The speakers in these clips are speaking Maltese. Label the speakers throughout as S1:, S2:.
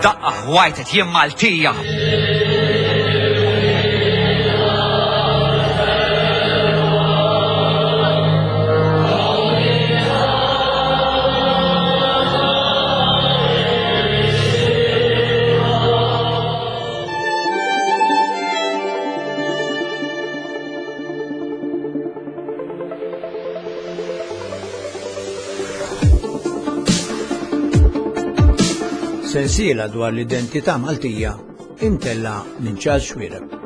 S1: F'daqqa ħwajtet jien Maltija.
S2: Sensiela dwar l-identità Maltija imtella minn Charles Xuereb.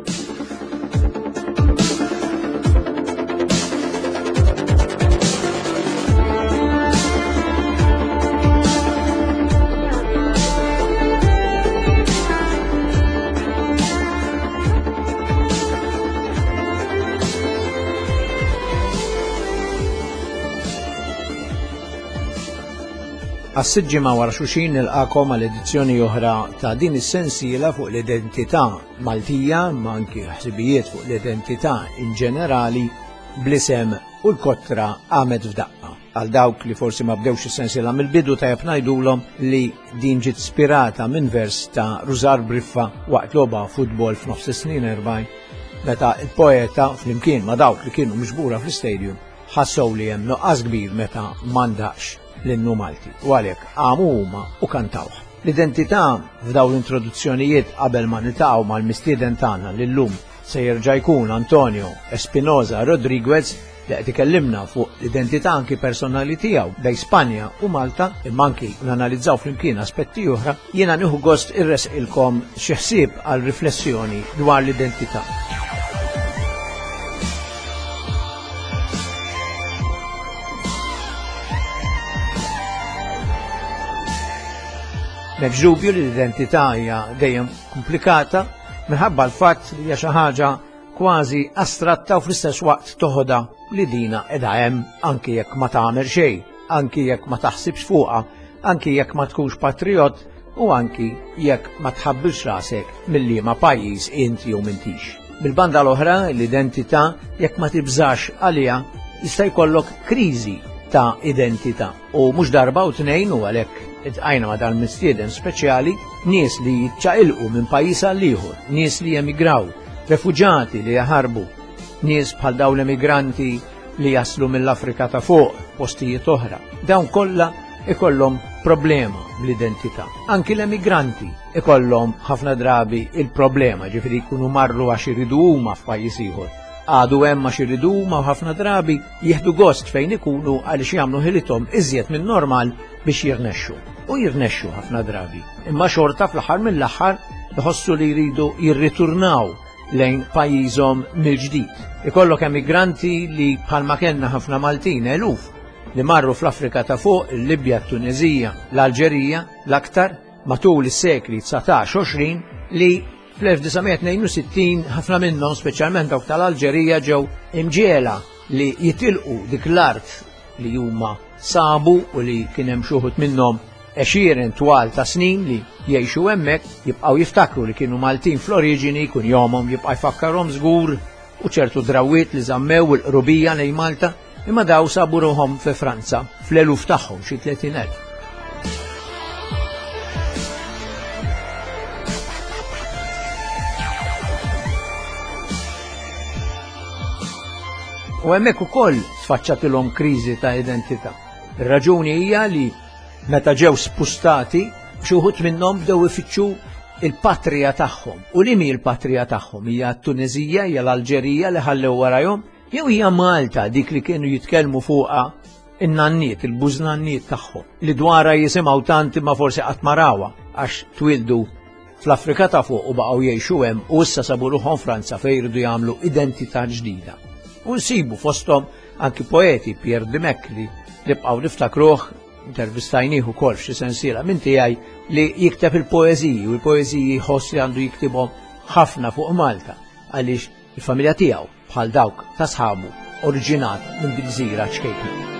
S2: Għas-sitt ġimgħa wara xulxin nilqakom għal edizzjoni oħra ta' din is-sensiela fuq l-identità Maltija ma anki ħsibijiet fuq l-identità in ġenerali bl-isem u l-kotra qamet f'daqqa. Għal dawk li forsi ma bdewx is-sensiela mill-bidu tajjeb ngħidulhom li din ġiet spirata minn vers ta' Rużar Briffa waqt logħba futbol f'nofs is-snin 40 meta il-poeta flimkien ma' dawk li kienu miġbura fl-istadium ħassew li hemm nuqqas kbir meta m'għandaqx l-innu Malti u għalhekk qamu huma u kantawh. L-identità f'dawn l-introduzzjonijiet qabel ma niltaqgħu mal-mistieden tagħna li llum se jerġa' jkun Antonio Espinosa Rodriguez li qed ikellimna fuq l-identità anki personali tiegħu bejn Spanja u Malta, imma anki nanalizzaw flimkien aspetti oħra, jiena nieħu gost irresqilkom xi ħsieb għal riflessjoni dwar l-identità. M'hemmx dubju li l-identità hija dejjem komplikata minħabba l-fatt li hija xi ħaġa kważi astratta u fl-istess waqt toħodha li dina qiegħda hemm anki jekk ma tagħmel xejn, anki jekk ma taħsibx fuqha, anki jekk ma tkunx patriot u anki jekk ma tħabbilx rasek mill-liema pajjiż int jew m'intix. Mill-banda l-oħra, l-identità jekk ma tibżax għaliha jista' jkollok kriżi ta' identità. U mhux darba u tnejn u għalhekk itqajna ma' dal-mistieden speċjali nies li jiċċaqilqu minn pajjiż għal ieħor, nies li jemigraw, refuġati li jaħarbu, nies bħal dawn l-emigranti li jaslu mill-Afrika ta' fuq, postijiet oħra. Dawn kollha ikollhom problema bl-identità. Anki l-emigranti ikollhom ħafna drabi il-problema, ġifieri jkunu marru għax iridu huma f'pajjiż ieħor. Għadu hemm għax iridu huma u ħafna drabi jieħdu gost fejn ikunu għaliex jagħmlu ħilithom iżjed minn normal biex jirnexxu. U jirnexxu ħafna drabi. Imma xorta fl-aħħar mill-aħħar iħossu li jridu jirriturnaw lejn pajjiżhom mill-ġdid. Ikollok emigranti li bħalma kellna ħafna Maltin eluf li marru fl-Afrika ta' fuq, il-Libja, t-Tunezija, l-Alġerija, l-aktar matul is-sekli 19-20 li fl-1962 ħafna minnhom, speċjalment dawk tal-Alġerija, ġew imġiegħla li jitilqu dik l-art li huma sabu u li kien hemm xi wħud minnhom għexieren twal ta' snin li jgħixu hemmhekk, jibqgħu jiftakru li kienu Maltin fl-oriġini, kunjomhom jibqa' jfakkarhom żgur u ċertu drawwiet li żammew il-qrubija lejn Malta, imma daw sabu ruħhom fi Franza fl-eluf tagħhom xi 30,000. U hemmhekk ukoll tfaċċatilhom kriżi ta' identità. Ir-raġuni hija li meta ġew spustati, xi wħud minnhom bdew ifittxu il-patrija tagħhom. U li mi l-patrija tagħhom? Hija t-Tunezija, hija l-Alġerija li ħallew warajhom, jew hija Malta dik li kienu jitkellmu fuqha in-nanniet, il-bużnanniet tagħhom, li dwarha jisimgħu tant imma forsi qatt ma rawha għax twildu fl-Afrika ta' fuq u baqgħu jgħixu hemm u issa sabu ruħhom Franza fejn jridu jagħmlu identità ġdida. U nsibu fosthom anki poeti Pierre Dimech li nibqgħu niftakruh intervistajnih ukoll f'xi sensiela minn tiegħi li jikteb il-poeżiji u l-poeżiji jħoss li għandu jiktibhom ħafna fuq Malta għaliex il-familja tiegħu bħal dawk ta' sħabu oriġinat minn dik gżira ċkejkna.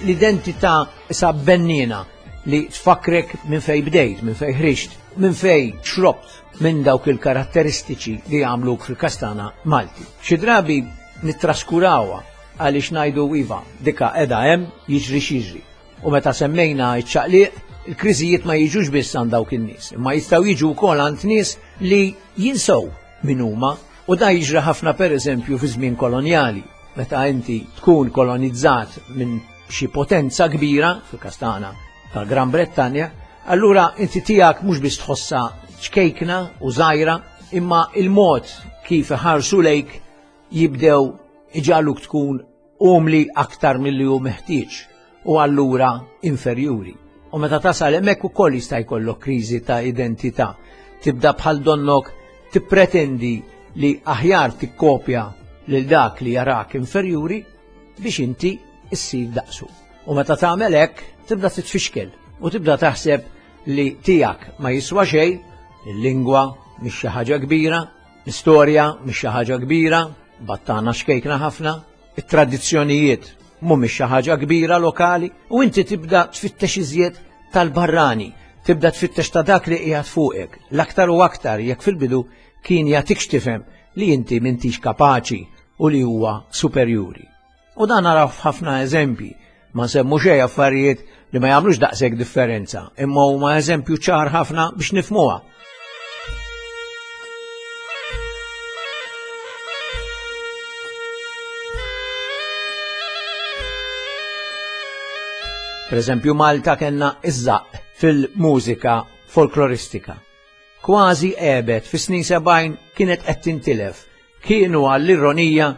S2: L-identità isa bennina li tfakrek minn fej bdejt, minn fej ħriġt, minn fej xrobt minn dawk il-karatteristiċi li għamluk fil-kastana Malti. Xi drabi nittraskurawha għaliex ngħidu iva, dika qiegħda hemm jiġri x'jiġri. U meta semmejna ċ-ċaqliq, il-kriżijiet ma jiġux biss għand dawk in-nies, imma jistgħu jiġu wkoll għand nies li jinsew min huma u da jiġri ħafna pereżempju fi żmien kolonjali, meta inti tkun kolonizzat minn xi potenza kbira, fil-każ tagħna tal-Gran Brettanja, allura inti tiegħek mhux biss tħossha ċkejkna u żgħira, imma il-mod kif iħarsu lejk jibdew iġagħluk tkun umli aktar milli hu meħtieġ u allura inferjuri. U meta tasal hemmhekk ukoll jista' jkollok kriżi ta' identità. Tibda bħal donnok tippretendi li aħjar tikkopja lil dak li jarak inferjuri biex inti issir daqsu. U meta tagħmel hekk tibda titfixkel u tibda taħseb li tiegħek ma jiswa xejn, il-lingwa mhix xi ħaġa kbira, l-istorja mhix xi ħaġa kbira, battana xkejkna ħafna, it-tradizzjonijiet mhumiex xi ħaġa kbira lokali u inti tibda tfittex iżjed tal-barrani, tibda tfittex ta' dak li qiegħed fuqek, l-aktar u aktar jekk fil-bidu kien jagħtik tifhem li inti m'intix kapaċi u li huwa superjuri. U dan naraw f'ħafna eżempji, ma nsemmu xejn affarijiet li ma jagħmlux daqshekk differenza, imma huma eżempju ċar ħafna biex nifhmuha. Per eżempju Malta kellna iż-żaqq fil-mużika folkloristika. Kważi għebet fis-snin 70 kienet qed tintilef. Kienu għall-ironija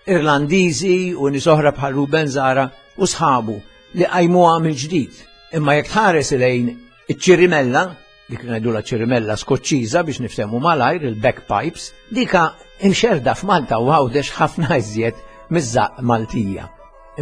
S2: Irlandiżi u nies oħra bħal Ruben Zara u sħabu li qajmuha mill-ġdid. Imma jekk tħares lejn iċ-ċirimella, dik li ngħidulha ċirimella Skoċċiża biex niftehmu malajr il-bagpipes, dika imxerda f'Malta u Għawdex ħafna iżjed miż-żaqq Maltija.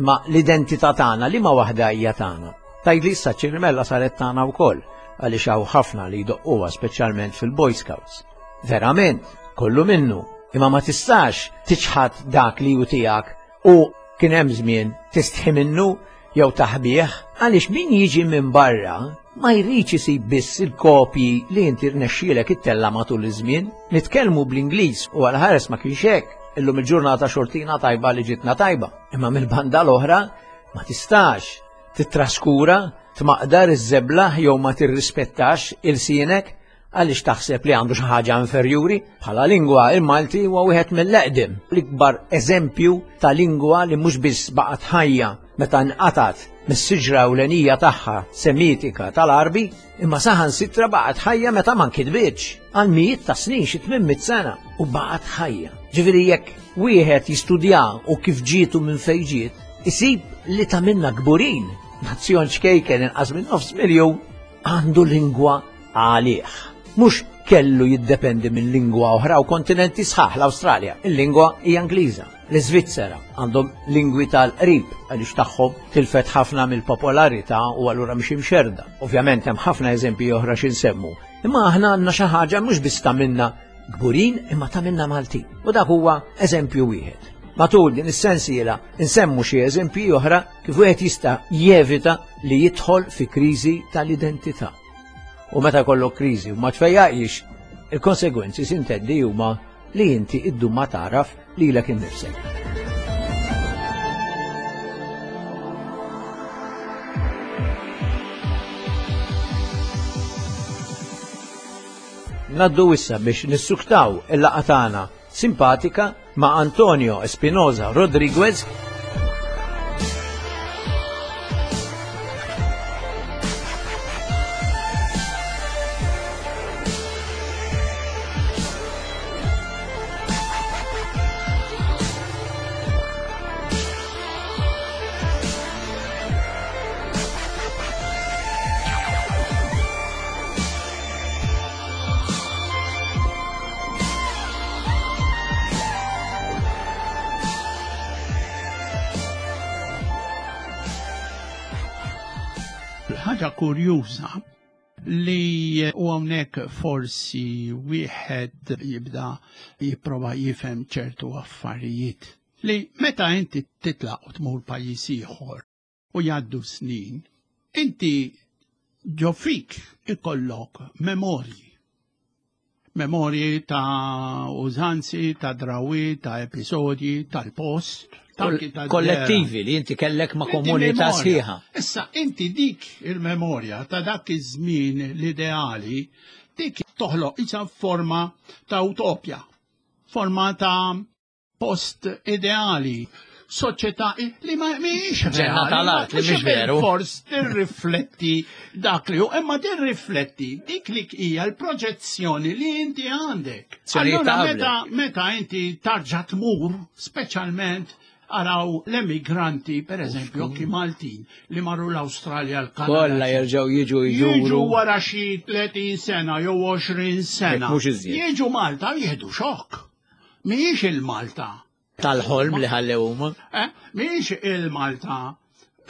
S2: Imma l-identità tagħna liema waħda hija tagħna? Tgħidli issa ċ-ċirimella saret tagħna wkoll għaliex hawn ħafna li jdoqquha speċjalment fil-Boy Scouts. Verament, kollu minnu, imma ma tistax tiċħad dak li hu tiegħek u kien hemm żmien tistħi minnu jew taħbih għaliex min jiġi minn barra ma jridx isib biss il-kopji li inti rnexxielek ittella' matul iż-żmien. Nitkellmu bl-Ingliż u għal ħares ma kienx hekk. Illum il-ġurnata xortina tajba li ġitna tajba. Imma mill-banda l-oħra ma tistax titraskura, tmaqdar iż-żeblaħ jew ma tirrispettax ilsienek Għaliex taħseb li għandu xi ħaġa inferjuri? Bħala lingwa, il-Malti huwa wieħed mill-eqdem, l-ikbar eżempju ta' lingwa li mhux biss baqgħet ħajja meta nqatgħet mis-siġra ewlenija tagħha Semitika tal-Għarbi, imma saħansitra baqgħet ħajja meta ma nkitbitx għal mijiet ta' snin xi 800 sena u baqgħet ħajja. Ġifieri jekk wieħed jistudja u kif ġiet u minn fejn ġiet, isib li ta' minna kburin. Nazzjon ċkejken inqas minn nofs miljun għandu lingwa għalih. Mhux kellu jiddependi minn lingwa oħra u kontinenti sħaħ l-Awstralja. Il-lingwa hija Ingliża. L-Iżvizzera għandhom lingwi tal-qrib għaliex tagħhom tilfet ħafna mill-popolarità u allura mhix imxerda. Ovvjament hemm ħafna eżempji oħra xi nsemmu. Imma aħna għandna xi ħaġa mhux biss ta' minna kburin imma ta' minna Maltin. U dak huwa eżempju wieħed. Matul din is-sensiela nsemmu xi eżempji oħra kif wieħed jista' jevita li jidħol fi kriżi tal-identità. U meta jkollok kriżi u ma tfejjaqx, il-konsegwenzi sintendi huma li inti iddum ma tagħraf lilek innifsek. Naddu issa biex nissuktaw il-laqgħa tagħna simpatika ma' Antonio Espinosa Rodriguez
S3: Ħaġa kurjuża li u hawnhekk forsi wieħed jibda jipprova jifhem ċertu affarijiet li meta inti titlaq u tmur pajjiż ieħor u jgħaddu snin, inti ġo fik ikollok memorji. Memorji ta' użanzi, ta' drawi, ta' episodji, tal-post.
S2: Kollettivi li inti kellek ma' komunità sħiħa.
S3: Issa, inti dik il-memorja ta' dak iż-żmien l-ideali, dik toħloq isa forma ta' utopja, forma ta' post ideali, soċjetà li ma mhijiex
S2: Ġenna tal-art li mhix veru.
S3: Fors tirrifletti dak li hu, imma tirrifletti dik li hija l-proġezzjoni li inti għandek. Allura meta meta inti tarġa' tmur, speċjalment araw l-emigranti, per eżempju, anki Maltin, li marru l-Awstralja, l-Kanada.
S2: Kollha jerġgħu jiġu juru.
S3: Jiġu wara xi 30 sena jew 20 sena. Jiġu Malta jieħdu xokk. Mhijiex il-Malta.
S2: Tal-ħolm li ħallew huma.
S3: Eh, mhijiex il-Malta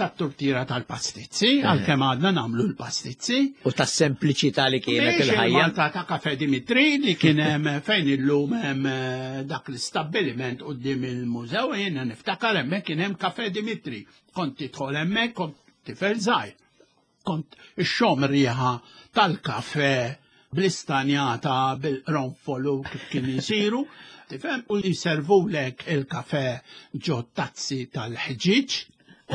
S3: tat-turtira tal-pastizzi, eh. għalkemm għadna nagħmlu l-pastizzi.
S2: U tas-sempliċità li kienet il-ħajja.
S3: Malta ta' Kafe Dimitri li kien hemm fejn illum hemm eh, dak l-istabbiliment quddiem il-mużew jiena niftakar hemmhekk kien hemm Kafe Dimitri. Kont tidħol hemmhekk kont tifel żgħir. Kont ixxomm riħa tal-kafe bl-istanjata bil-qronfol u kif kien isiru, tifhem, u jservulek il-kafe ġo tazzi tal-ħġieġ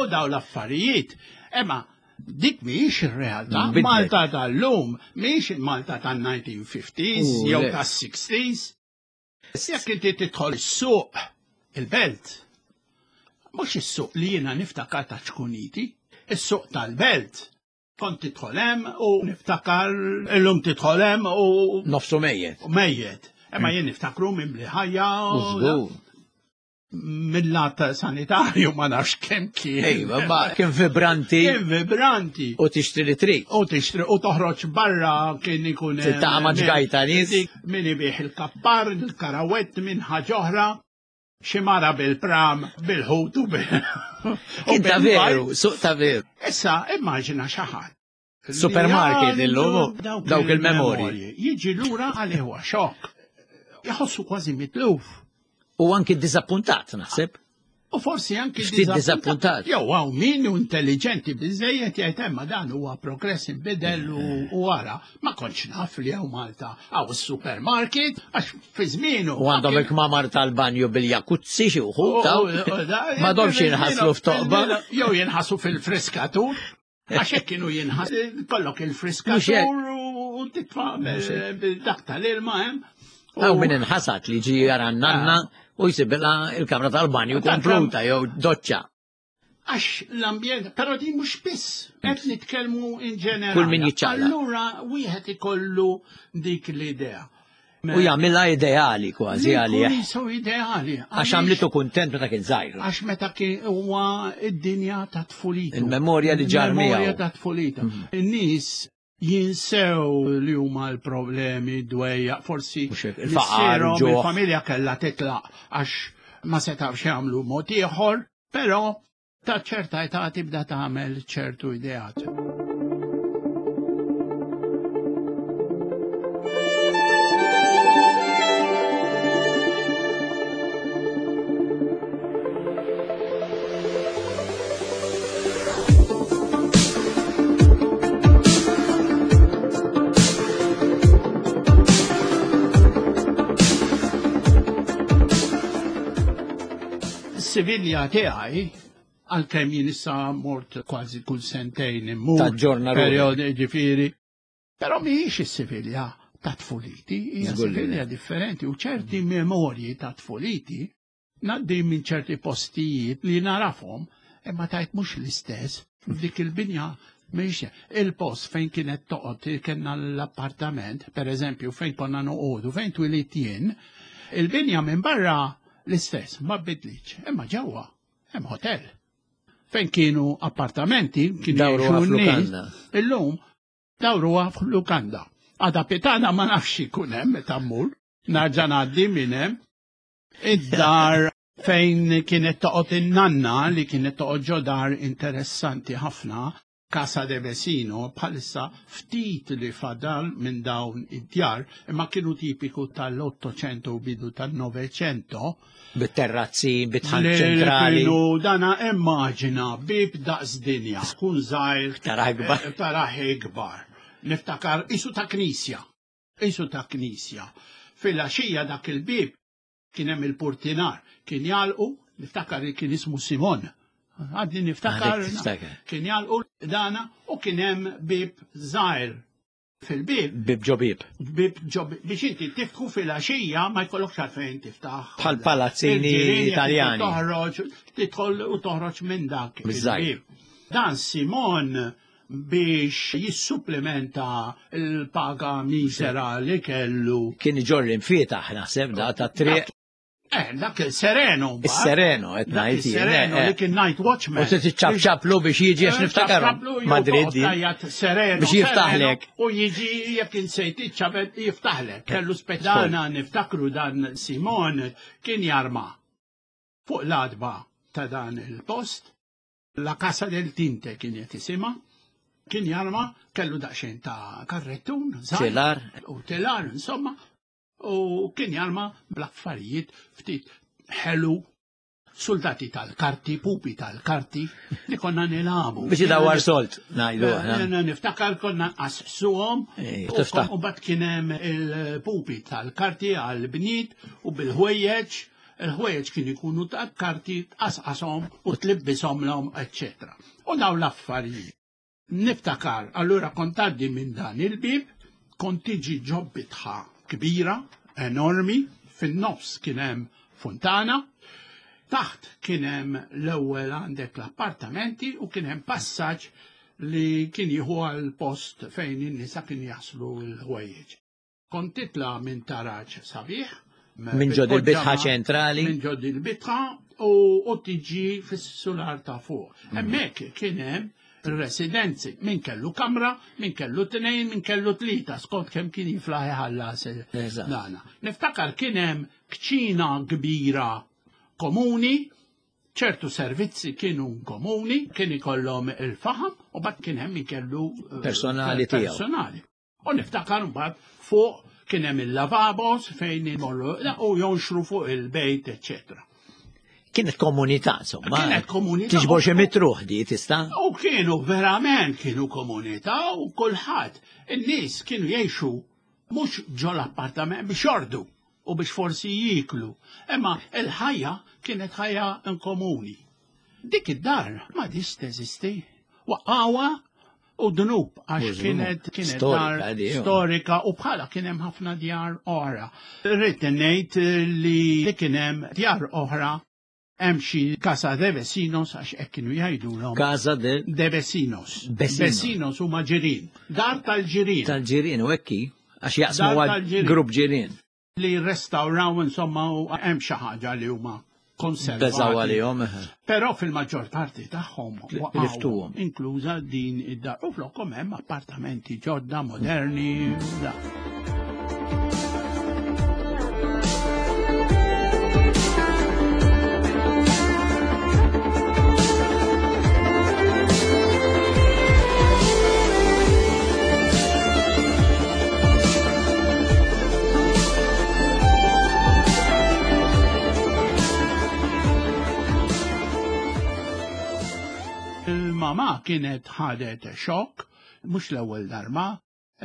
S3: u daw l-affarijiet. Imma dik mhijiex ir-realtà. Malta tal-lum mhijiex il-Malta tan-1950s jew tas-60s. Jekk inti tidħol is-suq, il-belt, mhux is-suq li jiena niftakar ta' ċkuniti, is-suq tal-belt. Kont tidħol hemm u niftakar illum tidħol hemm u
S2: nofsu mejjet.
S3: Mejjet. Imma jien niftakru minn li ħajja. Mill-lat sanitarju ma nafx kemm kien.
S2: Ejwa, ma kien vibranti.
S3: Kien vibranti.
S2: U tixtri li trid.
S3: U tixtri u toħroġ barra kien ikun.
S2: Tiltaqa' ma' ġgajta nies.
S3: Min ibih il-kappar, il-karawett, minn ħaġa oħra. Xi mara bil-pram, bil-ħut u bil.
S2: Kien ta' veru, suq ta' veru.
S3: Issa immaġina xi ħadd.
S2: Supermarket illum, dawk il-memorji.
S3: Jiġi lura għalih huwa xokk. Jħossu kważi mitluf.
S2: U anki dizappuntat, naħseb.
S3: U forsi anki
S2: ftit dizappuntat.
S3: Jew hawn min hu intelligenti biżejjed jgħid hemm dan huwa progress inbidel u wara ma kontx naf li hawn Malta hawn is-supermarket għax fi żmienu.
S2: U għandhom il-kmamar tal-banju bil-jakuzzi xi wħud M'għadhomx jinħaslu f'toqba.
S3: Jew jinħaslu fil-friskatur. Għax hekk kienu jinħas kollok il-friskatur u titfa' dak tal-ilma hemm.
S2: Hawn min inħasad li ġi jara nanna ah. u jsibilha il-kamra tal-banju kompluta jew doċċa.
S3: Għax l-ambjent, però di mhux biss, qed nitkellmu in ġenerali.
S2: Kull min jiċċaqla.
S3: Allura wieħed ikollu dik l-idea.
S2: U jagħmilha ideali kważi għalih.
S3: Jisu ideali.
S2: Għax għamlitu kuntent meta kien żgħir.
S3: Għax meta kien huwa id-dinja ta' tfulitu.
S2: Il-memorja li ġar miegħu.
S3: Il-memorja ta' tfulitu. Mhm. In-nies jinsew li huma l-problemi dwejja, forsi
S2: il-faqar,
S3: il-familja kellha titlaq għax ma setawx jagħmlu mod ieħor, però Ta' ċerta età tibda tagħmel ċertu ideat. Sivilja tiegħi għalkemm jien issa mort kważi kull sentejn immur.
S2: Taġġorna
S3: Periodi ġifieri. Però mhijiex is-Sivilja ta' tfuliti, hija Sivilja differenti u ċerti memorji ta' tfuliti ngħaddi minn ċerti postijiet li narafhom imma tajt mhux l-istess f'dik il-binja mhix il-post fejn kienet toqgħod kellna l-appartament, per eżempju, fejn konna noqogħdu, fejn twilit jien, il-binja minn barra L-istess, ma bidlitx, imma ġewwa hemm hotel. Fejn kienu appartamenti, kienu
S2: Dawruha
S3: jgħixu n-nies,
S2: f'lukanda.
S3: Illum dawruha f'lukanda. Għada pitana ma nafx ikun hemm meta mmur, narġa' ngħaddi minn hemm. Id-dar fejn kienet toqgħod in-nanna li kienet toqgħod ġo dar interessanti ħafna, Casa de Vecino bħalissa ftit li fadal minn dawn id-djar imma kienu tipiku tal-Ottocento u bidu tan-Novecento.
S2: Bit-terrazzi, bit-tħank ċentrali.
S3: Kienu dana immaġina bib daqs dinja, tkun żgħir.
S2: Taraħ ikbar.
S3: Taraħ ikbar. Niftakar isu ta' knisja. Qisu ta' knisja. Filgħaxija dak il-bieb kien hemm il-purtinar, kien jagħlqu, niftakar li kien ismu Simon. Għadni niftakar, kien jagħlqu dana u kien hemm bieb żgħir fil-bib.
S2: Bib ġo bib.
S3: Bib ġo bib. Biex inti tiftħu fil-għaxija ma jkollokx għalfejn tiftaħ.
S2: Bħal palazzini Italjani.
S3: Toħroġ, tidħol u toħroġ minn dak. il-bib. Dan Simon biex jissupplementa l-paga misera li kellu.
S2: Kien iġorr l-imfietaħ naħseb da ta' triq.
S3: Eh, dak il-Sereno.
S2: Is-Sereno, qed ngħid.
S3: Sereno li kien night watchman.
S2: U se tiċċabċablu biex jiġi għax niftakar Madrid.
S3: Sereno.
S2: Biex jiftaħlek.
S3: U jiġi jekk insejt iċċabet jiftaħlek. Kellu spetana niftakru dan Simon kien jarma fuq l-adba ta' dan il-post. La Casa del Tinte kien qed isimha. Kien jarma kellu daqsxejn ta' karrettun.
S2: Telar.
S3: U telar, insomma. U kien jarma bl-affarijiet ftit ħelu soldati tal-karti, pupi tal-karti, li konna nilabu.
S2: Biex idawar solt, ngħidu.
S3: Eh, niftakar konna nqassuhom. U bat kien hemm il-pupi tal-karti għal-bniet u bil-ħwejjeġ, il-ħwejjeġ kien ikunu tal-karti tqasqashom u tlibbishom l-om, eccetera. U daw l-affarijiet. Niftakar, allura kont tgħaddi minn dan il-bieb, kont tiġi ġo bitħa kbira, enormi, fin-nofs kien hemm funtana, taħt kien hemm l-ewwel għandek l-appartamenti u kien hemm passaġġ li kien jieħu għal post fejn in-nisa kienu jaħslu l-ħwejjeġ. Kont titla' minn taraġ sabiħ.
S2: Minn ġod il-bitħa ċentrali.
S3: Minn ġod il-bitħa u tiġi fis-sular ta' fuq. Mhm. Hemmhekk kien hemm residenzi. Min kellu kamra, min kellu tnejn, min kellu tlieta, skont kemm kien jiflaħ iħallas dana. Niftakar kien hemm kċina kbira komuni, ċertu servizzi kienu komuni, kien ikollhom il-faħam u bat kien hemm min kellu
S2: eh, personali tiegħu.
S3: Personali. U niftakar mbagħad fuq kien hemm il-lavabos fejn imorru u jonxru fuq il-bejt, eċċetera.
S2: Kienet komunità, insomma.
S3: Kienet komunità.
S2: Tiġbor xi mitruħ di tista'.
S3: U kienu verament kienu komunità u kulħadd. In-nies kienu jgħixu mhux ġol appartament biex jordu u biex forsi jieklu. Imma il-ħajja kienet ħajja komuni. Dik id-dar ma dis teżisti. Waqgħuha u dnub għax kienet kienet dar storika u bħala kien hemm ħafna djar oħra. Rrid ngħid li kien hemm djar oħra hemm xi Casa de Vecinos għax hekk kienu jgħidulhom.
S2: Casa de
S3: de Vecinos. Vecinos huma ġirien. Dar tal-ġirien.
S2: Tal-ġirien u hekk għax jaqsmu grupp ġirien.
S3: Li rrestawraw insomma u hemm xi ħaġa li huma konservati.
S2: Beżaw għalihom.
S3: Però fil-maġġor parti tagħhom
S2: waqgħu,
S3: inkluża din id-dar. U flokhom hemm appartamenti ġodda moderni. Da. Il-mama kienet ħadet xokk, mhux l-ewwel darba,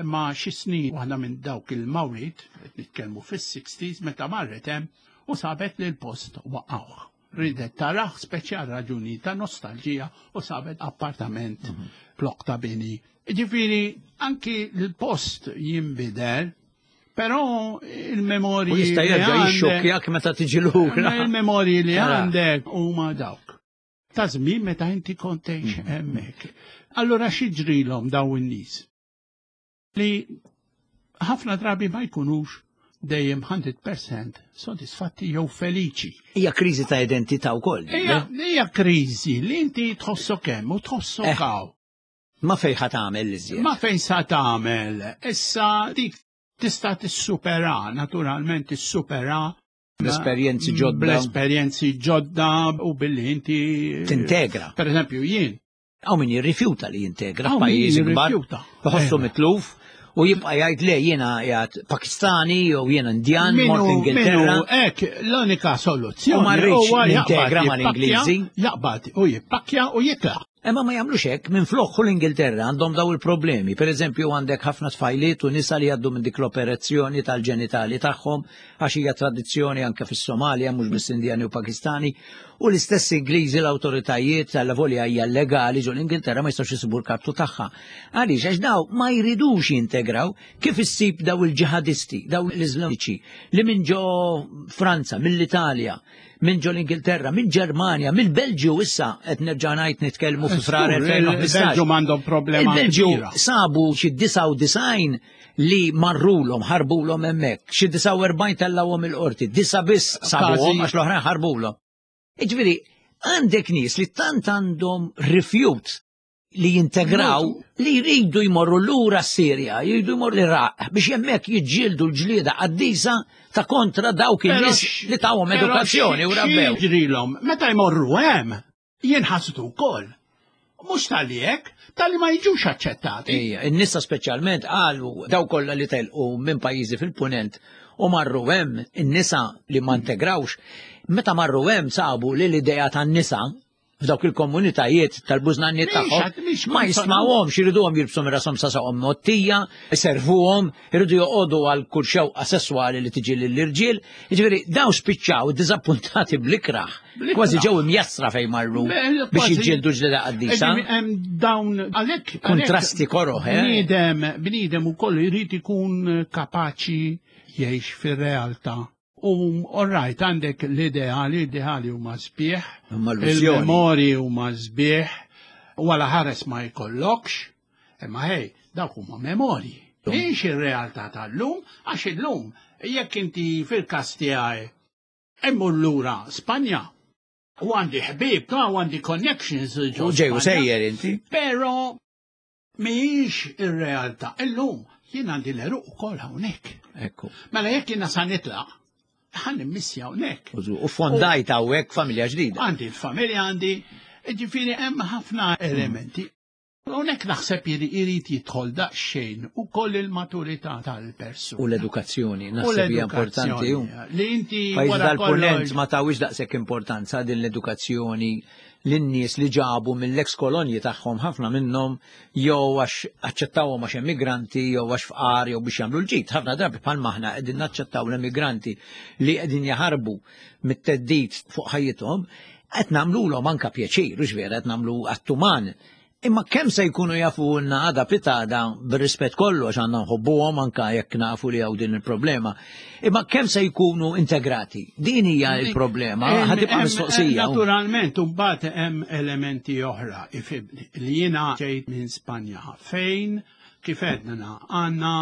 S3: imma xi snin waħda minn dawk il-mawriet, qed nitkellmu fis-60s, meta marret hemm u sabet li l-post waqgħuh. Ridet tarah speċi għal raġuni ta' nostalġija u sabet appartament mhm. blok ta' bini. Ġifieri anki l-post jinbidel, però il-memorji.
S2: U jista' jerġa' jixxokkjak meta tiġi lura.
S3: Il-memorji li għandek huma dawk. Ta' żmien meta inti kont tgħix mhm. hemmhekk. Allura xi ġrilhom dawn in-nies? Li ħafna drabi ma jkunux dejjem 100% sodisfatti jew feliċi.
S2: Hija kriżi ta' identità wkoll.
S3: Hija kriżi li inti tħossok hemm u tħossok eh. hawn.
S2: Ma fejn ħa tagħmel iżjed.
S3: Ma fejn sa tagħmel. Issa dik tista' tissupera, naturalment tissupera
S2: Bl-esperjenzi ġodda.
S3: Bl-esperjenzi ġodda u billi inti
S2: tintegra.
S3: Per eżempju jien
S2: Hawn min jirrifjuta li jintegra f'pajjiżi kbar. Iħossu eh. mitluf u jibqa' jgħid le jiena jgħid Pakistani jew jiena Indjan mort Ingilterra.
S3: Hekk l-unika soluzzjoni.
S2: U ma rridx nintegra mal-Ingliżi.
S3: Jaqbad u jippakkja u jitlaq.
S2: Imma ma jagħmlux hekk minflok u l-Ingilterra għandhom daw il-problemi. Per eżempju għandek ħafna tfajliet u nisa li jgħaddu minn dik l-operazzjoni tal-ġenitali tagħhom għax hija tradizzjoni anke fis-Somalja mhux biss Indjani u Pakistani u l-istess Ingliżi l-awtoritajiet tal-volja hija legali ġo l-Ingilterra ma jistgħux isibu l-kartu tagħha. Għaliex għax daw ma jridux jintegraw kif issib daw il-ġihadisti, daw l-Iżlamiċi li minn ġo Franza, mill-Italja, minn ġo l-Ingilterra, minn Ġermanja, mill-Belġju issa qed nerġa' ngħid nitkellmu fi frar
S3: 2015. Il-Belġju m'għandhom problema.
S2: Il-Belġju sabu xi 99 li marrulhom, ħarbulhom hemmhekk, xi 49 tellgħuhom il-qorti, disa biss sabuhom għax l-oħrajn ħarbulhom. Jiġifieri għandek nies li tant għandhom rifjut li jintegraw li jridu jmorru lura s-Sirja, jridu jmorru l-Iraq biex hemmhekk jiġġieldu l-ġlieda qaddisa ta' kontra dawk in-nies li tawhom edukazzjoni u rabbew.
S3: Jiġrilhom meta jmorru hemm jinħasdu wkoll. Mhux tal-li hekk, tal-li ma jiġux aċċettati.
S2: Ejja, in-nisa speċjalment qalu daw kollha li telqu minn pajjiżi fil-punent u marru hemm in-nisa li ma integrawx, meta marru hemm sabu li l-idea tan-nisa f'dawk il-komunitajiet tal-bużnanniet tagħhom ma jismawhomx, iriduhom jilbsu minn rashom sa saqhom mottija, iservuhom, iridu joqogħdu għal kull xewqa sesswali li tiġi lill-irġiel. Jiġifieri dawn spiċċaw diżappuntati bl-ikraħ, kważi ġew imjassra fejn marru biex jiġġieldu ġlieda qaddisa.
S3: Dawn għalhekk
S2: kontrasti koroħ,
S3: eh? Bniedem, bniedem ukoll irid ikun kapaċi jgħix fir-realtà U all right, għandek l-ideali, l-ideali huma sbieħ, il-memorji huma sbieħ, u għala ħares ma jkollokx, imma hej, dawk huma memorji. Mhix ir-realtà tal-lum, għax illum jekk inti fil-każ tiegħi immur lura Spanja, u għandi ħbieb, u għandi connections.
S2: U ġej u sejjer inti.
S3: Pero Mhijiex ir-realtà. Illum jien għandi l-għeruq ukoll hawnhekk.
S2: Ekku.
S3: Mela jekk jiena sa nitlaq, ħa nimmissja hawnhekk.
S2: U fondajt hawnhekk familja ġdida.
S3: Għandi l-familja għandi, ġifieri hemm ħafna elementi. Hawnhekk naħseb irid jidħol daqsxejn ukoll il-maturità tal-persuna.
S2: U l-edukazzjoni, naħseb hija importanti.
S3: Li inti
S2: Pajjiż dal-punent ma tawix daqshekk importanza din l-edukazzjoni lin-nies li ġabu mill-eks kolonji tagħhom ħafna minnhom jew għax aċċettawhom għax emigranti jew għax fqar jew biex jagħmlu l-ġid. Ħafna drabi bħal maħna qegħdin naċċettaw l-emigranti li qegħdin jaħarbu mit-teddid fuq ħajjithom, qed nagħmlulhom anka pjaċir, u vera qed nagħmlu attuman Imma kemm se jkunu jafu lna għada pitada bir-rispett kollu għax għandna nħobbuhom anka jekk nafu li hawn din il-problema. Imma kemm se jkunu integrati? Din hija l-problema, ħatibqa' mistoqsija.
S3: Naturalment, imbagħad hemm elementi oħra ifibni li jiena ġejt minn Spanja fejn kif għedna għandna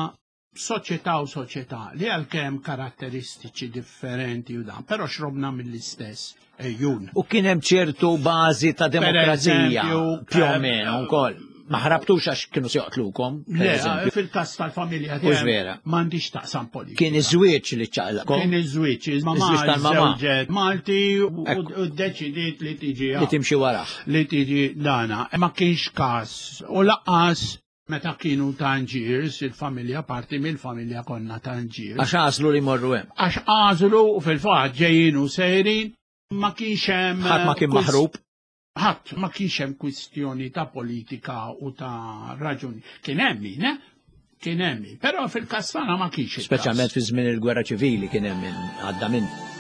S3: soċjetà u soċjetà li għalkemm karatteristiċi differenti u dan, però xrobna mill-istess ejjun.
S2: U kien hemm ċertu bażi ta' demokrazija più o meno wkoll. Ma ħrabtux għax kienu se joqtlukom.
S3: Le, fil-każ tal-familja
S2: tiegħi. vera.
S3: M'għandix taqsam politika.
S2: Kien iż-żwieġ li ċaqlaqkom.
S3: Kien iż-żwieġ,
S2: iż-żwieġ tal-mamà.
S3: Malti u ddeċidiet li tiġi.
S2: Li timxi warah.
S3: Li tiġi dana. Ma kienx każ u laqqas Meta kienu Tangiers, il-familja, parti mill-familja konna Tangiers.
S2: Għax għażlu li jmorru hemm.
S3: Għax għażlu u fil-fatt ġejjin u sejrin, ma kienx hemm.
S2: Ħadd ma kien maħrub.
S3: Ħadd ma kienx hemm kwistjoni ta' politika u ta' raġuni. Kien hemm min, eh? Kien hemm min, però fil-każ tagħna ma kienx.
S2: Speċjalment fi żmien il-gwerra ċivili kien hemm min għadda minn.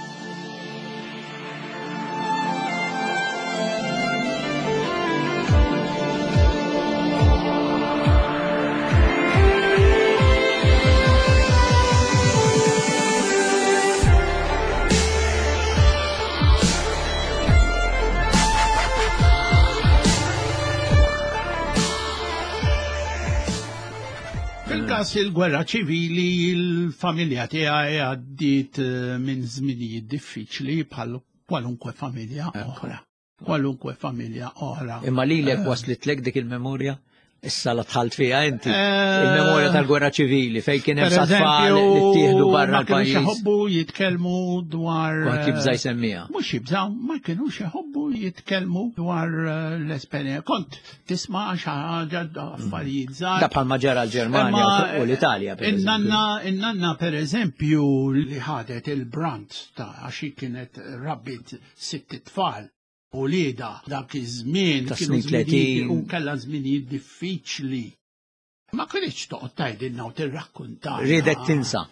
S3: Fil-każ il-gwerra ċivili il-familja tiegħi għaddiet eh, minn żminijiet diffiċli bħal kwalunkwe familja oħra. Kwalunkwe familja oħra.
S2: Imma lilek eh. waslitlek dik il-memorja? Issa la tħalt fiha inti. Eh, il-memorja tal-gwerra ċivili fejn kien hemm tfal li ttieħdu barra l-pajjiż.
S3: Ma iħobbu jitkellmu dwar.
S2: Kulħadd jibża' jsemmija.
S3: Mhux jibżgħu, ma kinux iħobbu jitkellmu dwar l-esperjenza. Kont tisma' xi ħaġa affarijiet żgħar.
S2: Da bħalma ġara l-Ġermanja u l-Italja.
S3: In-nanna, in-nanna pereżempju li ħadet il-brant ta' għax kienet rabbit sitt tfal. uliedha dak iż-żmien
S2: Ta'
S3: kienu
S2: snin
S3: żminijiet
S2: 30.
S3: u kellha żminijiet diffiċli. Ma kienx toqgħod tgħidilna u tirrakkuntana.
S2: Riedet tinsa.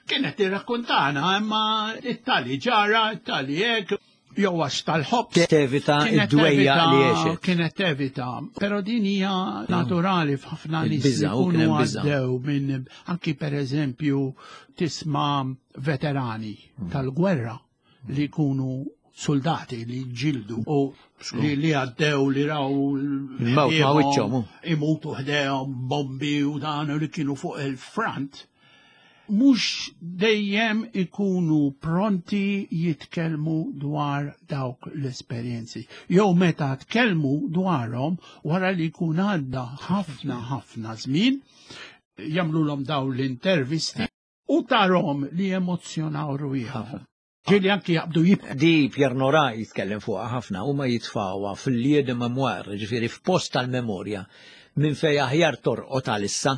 S3: Kienet tirrakkuntana imma it-tali ġara, it-tali hekk, jew għax tal-ħobż.
S2: Tevita
S3: Kienet
S2: id-dwejja
S3: tevita-
S2: li għexet.
S3: Kienet tevita, pero din hija naturali f'ħafna nies li
S2: Il-biża', u kien
S3: jkunu
S2: hemm biża'.
S3: għaddew minn anki per eżempju tisma' veterani tal-gwerra li jkunu soldati li ġildu u li, li għaddew li raw
S2: Il-mewt ma' wiċċhom, hu.
S3: imutu ħdejhom bombi u dan u li kienu fuq il-front mhux dejjem ikunu pronti jitkellmu dwar dawk l-esperjenzi. Jew meta tkellmu dwarhom wara li jkun għadda ħafna ħafna żmien, jagħmluhom dawn l-intervisti u tarhom li emozzjonaw rwieħhom. Ġieli anki jaqbdu jibku.
S2: Di Pierre Nora jitkellem fuqha ħafna u ma jitfawha fil-lieu de mémoire, ġifieri f'post tal-memorja minn fej aħjar torqod għalissa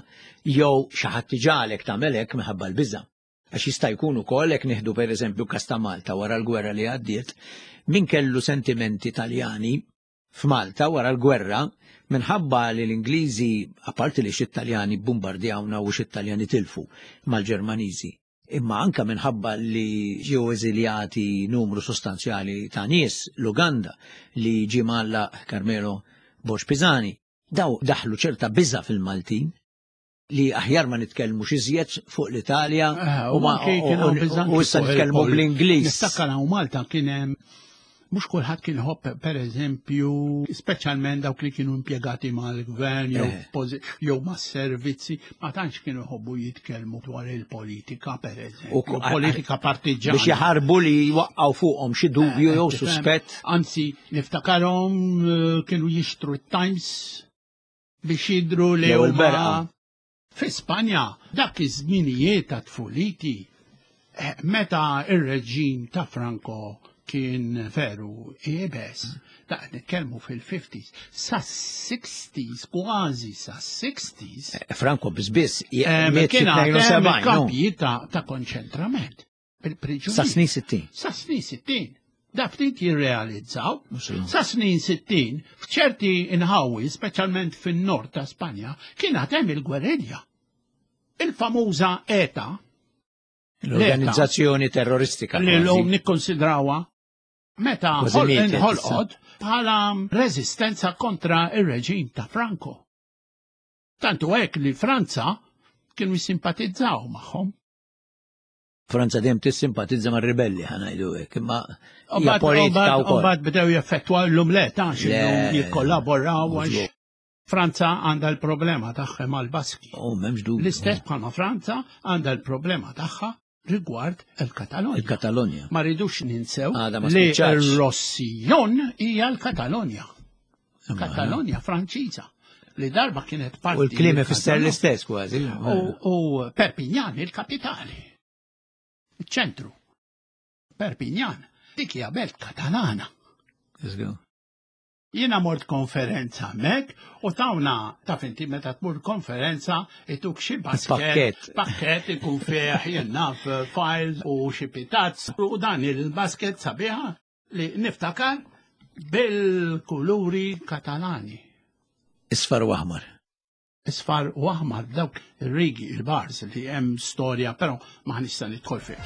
S2: jew xi ħadd iġagħlek tagħmel hekk minħabba l-biża'. Għax jista' jkun ukoll hekk nieħdu pereżempju każ ta' Malta wara l-gwerra li għaddiet, min kellu sentimenti Taljani f'Malta wara l-gwerra minħabba li l-Ingliżi, apparti li xi Taljani bbombardjawna u xi Taljani tilfu mal-Ġermaniżi, imma anka minħabba li ġew eżiljati numru sostanzjali ta' nies l-Uganda li ġie mgħallaq Carmelo Borg Pisani, daw daħlu ċerta biża' fil-Maltin li aħjar ma nitkellmux iżjed fuq l-Italja
S3: Eh,
S2: u ma-
S3: anki kien hawn biża'
S2: u issa
S3: fuq
S2: nitkellmu
S3: il-pol-
S2: bl-Ingliż.
S3: Niftakar hawn Malta kien hemm mhux kulħadd kien ħobb pereżempju, speċjalment dawk li kienu impjegati mal-gvern jew
S2: Eh.
S3: posi- jew mas-servizzi, ma tantx kienu jħobbu jitkellmu dwar il-politika
S2: U
S3: pereżempju,
S2: ku-
S3: politika partiġjana.
S2: Biex jaħarbu li jwaqqgħu fuqhom xi dubju
S3: Eh,
S2: jew
S3: tifhem?
S2: suspett.
S3: Anzi, niftakarhom eh, kienu jixtru t-Times biex jidru li
S2: Jew
S3: huma
S2: il-berqa.
S3: Fi Spanja, dak iż-żminijiet ta' tfuliti, eh, meta ir-reġim ta' Franco kien veru iebes, da' nitkellmu fil-50s, sa' 60s, kważi sa' 60s,
S2: Franco biss
S3: eh,
S2: miet
S3: kien għad hemm
S2: fit-72, no?
S3: kampijiet ta' ta' konċentrament. Bil-priġunieri.
S2: Sa snin 60.
S3: Sa snin 60. Da ftit jirrealizzaw.
S2: Mhux illum.
S3: Sa snin 60, f'ċerti inħawi, speċjalment fin-nord ta' Spanja, kien għad hemm il-gwerilja. Il-famuża ETA,
S2: L-organizzazzjoni terroristika.
S3: li
S2: kważi.
S3: l-lum nikkonsidrawha meta
S2: Kważi
S3: ħol-
S2: mietet
S3: inħolqot bħala reżistenza kontra ir-reġim ta' Franco. Tantu hekk li Franza kienu jissimpatizzaw magħhom.
S2: Franza dejjem tissimpatizza mar-ribelli ħanajdu hekk, imma
S3: U
S2: hija
S3: bad-
S2: politika
S3: u bad- U
S2: wkoll.
S3: bad bdew jaffettwa l-lum le, ta'
S2: Le.
S3: xillum jikkollaboraw għax
S2: Mhux
S3: Franza għandha l-problema tagħha mal-Baski.
S2: Oh, m'hemmx dubju.
S3: L-istess bħalma Franza għandha l-problema tagħha rigward il-Katalonja.
S2: Il-Katalonja.
S3: Ma rridux ninsew
S2: Għada ma
S3: li
S2: spiċċatx.
S3: r-Rossillon hija l-Katalonja.
S2: Imma-
S3: Katalonja Franċiża li darba kienet parti.
S2: U l-klim
S3: mill-Katalonja.
S2: ifisser l-istess kważi.
S3: U, u Perpignan, il-kapitali. Il-ċentru. Perpignan. Dik hija belt Katalana.
S2: Let's go.
S3: Jiena mort konferenza hemmhekk u tawna taf inti meta tmur konferenza ituk xi basket,
S2: Pakket.
S3: pakket ikun fih jien naf files u xi pitazz u dan il-basket sabiħa li niftakar bil-kuluri Katalani.
S2: Isfar u aħmar.
S3: Isfar u aħmar dawk ir-rigi, il-bars li hemm storja, però ma nista' nidħol fih.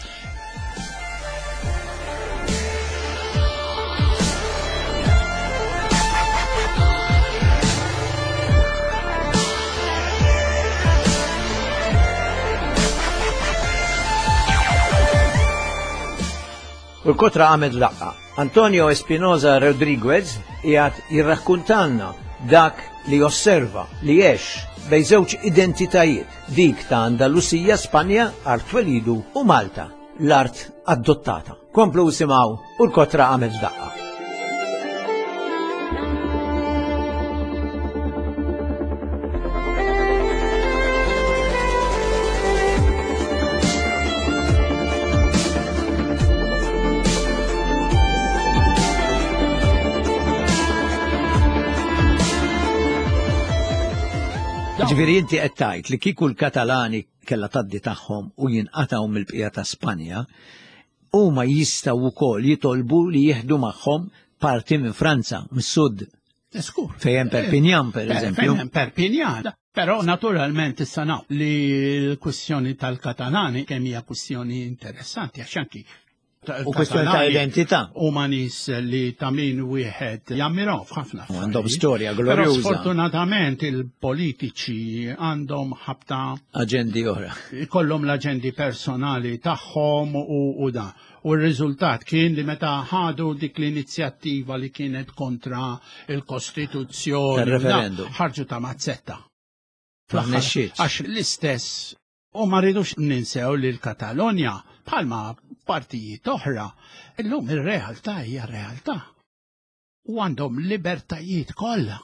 S2: U l-kotra għamed laqqa. Antonio Espinoza Rodriguez jgħat jirrakkuntanna dak li osserva li jiex bej żewġ identitajiet, dik ta' Andalusija, Spanja, art twelidu u Malta, l-art adottata. Komplu simaw u l-kotra għamed daqqa. Ġifieri inti qed tgħid li kieku l-Katalani kellha tgħaddi tagħhom u jinqatgħu mill-bqija ta' Spanja, huma jistgħu wkoll jitolbu li jieħdu magħhom parti minn Franza, mis-sud.
S3: Skur.
S2: Fejn Perpignan, per eżempju.
S3: Fejn Perpignan. Però naturalment issa naf li l-kwistjoni tal-Katalani kemm hija kwistjoni interessanti għax anki
S2: U kwestjoni ta' identità.
S3: U ma nies li ta' min wieħed jammiraw f'ħafna.
S2: Għandhom storja glorjuża.
S3: Sfortunatament il-politiċi għandhom ħabta
S2: aġendi oħra.
S3: Ikollhom l-aġendi personali tagħhom u da. U r-riżultat kien li meta ħadu dik l-inizjattiva li kienet kontra il-Kostituzzjoni. Ħarġu ta' mazzetta.
S2: Għax
S3: l-istess U ma rridux ninsew li l-Katalonja, bħalma partijiet oħra, illum ir-realtà hija realtà. U għandhom libertajiet kollha.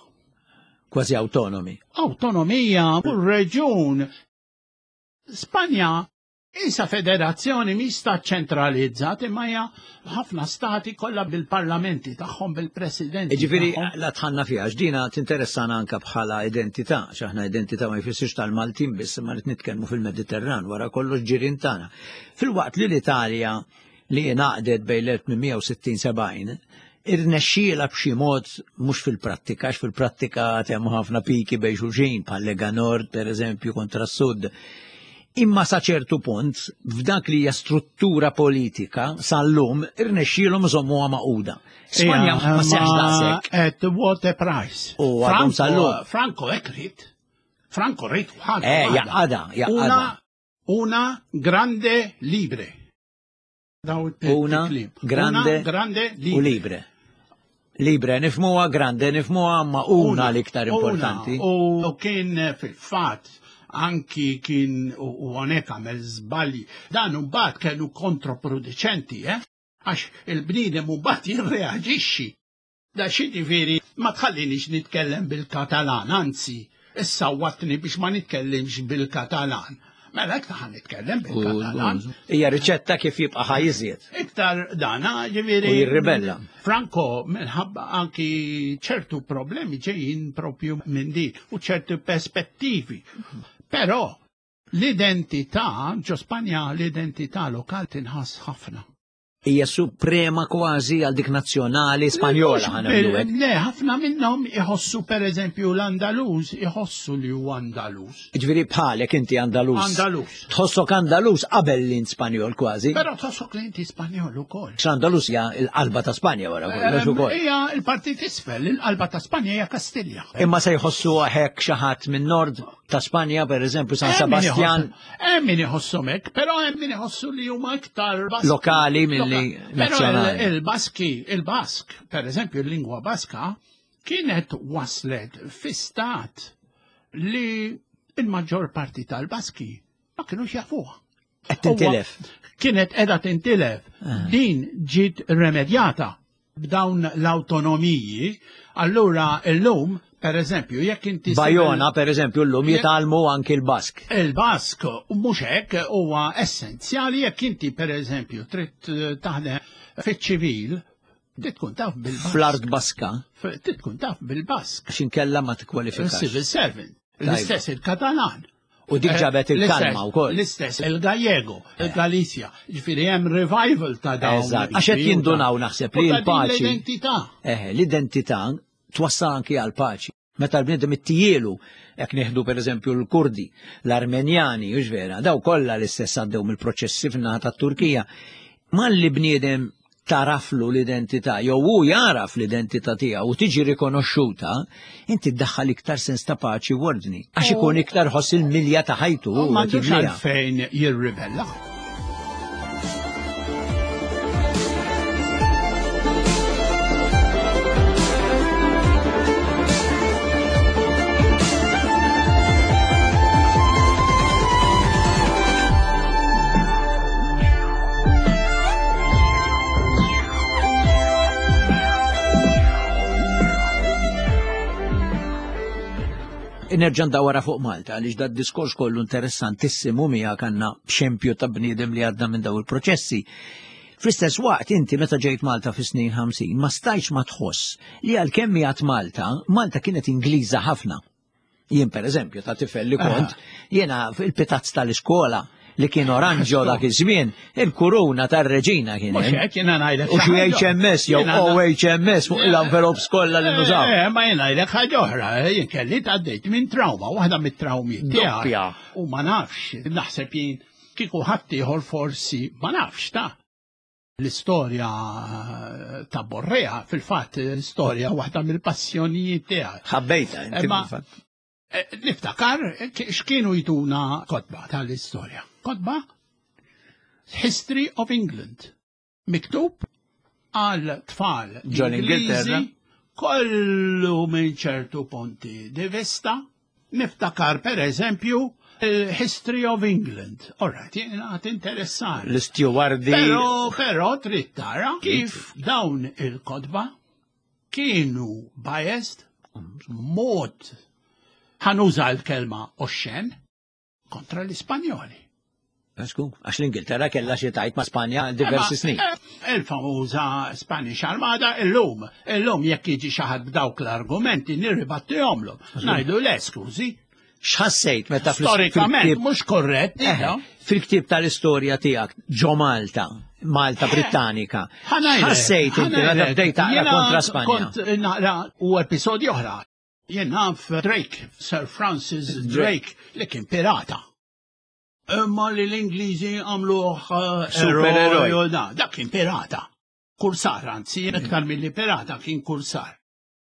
S2: Kważi autonomi.
S3: Autonomija u reġun. Spanja Isa federazzjoni mi stat ċentralizzat imma hija ħafna stati kollha bil-parlamenti tagħhom bil-presidenti.
S2: Ġifieri la tħanna fiha x'dina tinteressana anke bħala identità, x'aħna identità ma jfissirx tal-Maltin biss imma rid nitkellmu fil-Mediterran wara kollox ġirien tagħna. Filwaqt li l-Italja li ingħaqdet bejn l-1860-70 irnexxiela b'xi mod mhux fil-prattika, għax fil-prattika hemm ħafna piki bejn xulxin bħal Lega Nord pereżempju kontra s-Sud. Imma sa ċertu punt, f'dak li hija struttura politika sal-lum irnexxielhom iżommuha magħquda. Spanja ma seħx daqshekk.
S3: At what a price.
S2: U għadhom sal-lum.
S3: Franco hekk rid. Franco rid ħadd.
S2: Eh, jaqada, jaqada.
S3: Una grande libre.
S2: Una grande,
S3: grande
S2: u libre. Libre nifmuha, grande nifmuha, ma una l-iktar importanti.
S3: U kien eh, fil-fat anki kien u għonek għamel zbalji. Dan mbagħad kienu kontroproducenti, eh? Għax il-bniedem mbagħad jirreaġixxi. Da x'jiġifieri ma tħallinix nitkellem bil-Katalan, anzi, issawwatni biex ma nitkellimx bil-Katalan. Mela iktar ħa nitkellem bil-Katalan.
S2: Hija riċetta kif jibqa' ħaj iżjed.
S3: Iktar dana, ġifieri.
S2: U jirribella.
S3: Franco minħabba anki ċertu problemi ġejjin propju minn din u ċertu perspettivi. Però l-identità ġo Spanja l-identità lokal tinħass ħafna.
S2: hija suprema kważi għal dik nazzjonali Spanjola ħanagħmlu
S3: hekk. Le, ħafna minnhom iħossu pereżempju l-Andalus iħossu li huwa Andalus.
S2: Ġifieri bħalek inti Andalus.
S3: Andalus.
S2: Tħossok Andalus qabel li int Spanjol kważi.
S3: Però tħossok li inti Spanjol ukoll.
S2: X'Andalus hija l-qalba ta' Spanja wara kollox ukoll.
S3: Hija l-partit isfel, il-qalba ta' Spanja hija Kastilja.
S2: Imma se jħossu hekk xi ħadd minn nord ta' Spanja, per eżempju, San Sebastian.
S3: Hemm min iħosshom hekk, però hemm min iħossu li huma iktar
S2: Baski. Lokali milli nazzjonali.
S3: Il-Baski, il-Bask, per eżempju, il-lingwa Baska kienet waslet fi stat li il-maġġor parti tal-Baski ma kienux jafuha.
S2: Qed tintilef.
S3: Kienet qiegħda tintilef. Ah. Din ġiet remedjata b'dawn l-awtonomiji, allura illum, per eżempju, jekk inti.
S2: Bajona, per eżempju, llum jitgħallmu anki l-Bask.
S3: Il-Bask, mhux hekk, huwa essenzjali jekk inti, per eżempju, trid eh, taħdem fiċ-ċivil, trid tkun taf bil-Bask.
S2: Fl-art Baska.
S3: Trid tkun taf bil-Bask.
S2: X'inkella ma tikkwalifikax.
S3: Civil servant. L-istess il-Katalan.
S2: U dik eh, ġabet il-kalma wkoll.
S3: L-istess, il-Gallego, eh. il-Galizja. Ġifieri hemm revival ta' dawn.
S2: Eżatt, għax qed jindunaw naħseb li l-paċi.
S3: L-identità.
S2: Eh, l-identità twassal anki għal paċi. Meta l-bniedem ittijielu, jekk nieħdu pereżempju l-Kurdi, l-Armenjani, u vera, daw kollha l-istess għaddew mill-proċessi fin-naħa tat-Turkija. Malli bniedem taraflu l-identità jew hu jaraf l-identità tiegħu u tiġi rikonoxxuta, inti ddaħħal iktar sens ta' paċi u ordni. Għax ikun iktar ħoss il-milja ta' ħajtu.
S3: Ma fejn jirribella.
S2: Nerġa' ndawara fuq Malta għaliex da diskors kollu interessantissimu miegħek għandna xempju ta' bniedem li għadda minn daw il-proċessi. Fl-istess waqt inti meta ġejt Malta fis-snin 50 ma stajtx ma tħoss li għalkemm miegħek Malta, Malta kienet Ingliża ħafna. Jien per eżempju ta' tifel li kont, jiena fil-pitazz tal-iskola li kien oranġo dak iż-żmien, il-kuruna tar-reġina kien
S3: Mhux hekk jiena ngħidlek.
S2: U xi HMS jew OHMS fuq l-envelopes kollha li nużaw.
S3: Eh, ma jien ngħidlek ħaġa oħra, eh, jien kelli tgħaddejt minn trauma, waħda mit-traumi
S2: tiegħi.
S3: U ma nafx, naħseb jien kieku ħadd ieħor forsi ma nafx ta' l-istorja ta' Borrea, fil-fatt l-istorja waħda mill-passjonijiet tiegħi.
S2: Ħabbejta, inti fil-fatt.
S3: Eh, niftakar x'kienu jtuna kotba tal-istorja. Kotba History of England. Miktub għal tfal
S2: Ingliżi
S3: kollu minn ċertu punti di vista. Niftakar per eżempju History of England. Alright, jena għat interessani.
S2: L-istewardi.
S3: Pero, pero trid tara kif dawn il-kotba kienu biased mod ħanuża l-kelma oxxen kontra l-Ispanjoli.
S2: Għasku, għax l-Ingilterra kellha xi tajt ma' Spanja diversi snin.
S3: Eh, il-famuża Spanish Armada illum, illum jekk jiġi xi ħadd b'dawk l-argumenti nirribattihomlhom. Ngħidu le skużi.
S2: X'ħassejt meta
S3: storikament mhux korrett. Eh,
S2: fil-ktieb tal-istorja tiegħek ġo Malta, Malta eh, Brittanika. Ħassejt inti meta bdejt taqra kontra Spanja.
S3: Kont naqra u episodji oħra. Jien naf Drake, Sir Francis Drake, li kien pirata. Imma li l-Ingliżi għamluh eh,
S2: supereroj.
S3: Dak kien pirata. Kursar, anzi, iktar milli pirata kien kursar.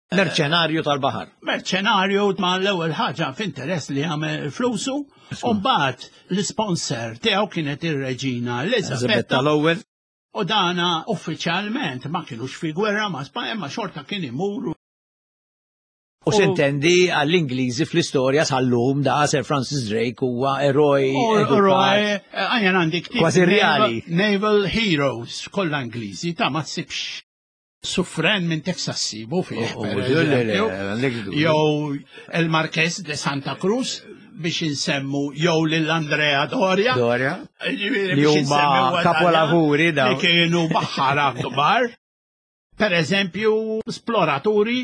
S2: Merċenarju tal-baħar.
S3: Merċenarju ma l-ewwel ħaġa f'interess li għamel flusu, u mbagħad l-isponsor tiegħu kienet ir-reġina Elizabetta
S2: l-ewwel.
S3: U dana uffiċjalment ma kienux fi gwerra ma' Spanja ma xorta kien imur.
S2: U sintendi għall-Ingliżi fl-istorja sal-lum da Sir Francis Drake huwa eroj.
S3: Eroj, għajja għandi ktieb.
S2: Kważi reali.
S3: Naval Heroes, kollha Ingliżi, ta' ma tsibx Sufren minn Texas sibu fih. Oh, oh, jew il-Marques de Santa Cruz biex insemmu jew lil Andrea Doria.
S2: Doria. Li huma kapolavuri
S3: daw. Li kienu baħħara kbar. Per eżempju, esploraturi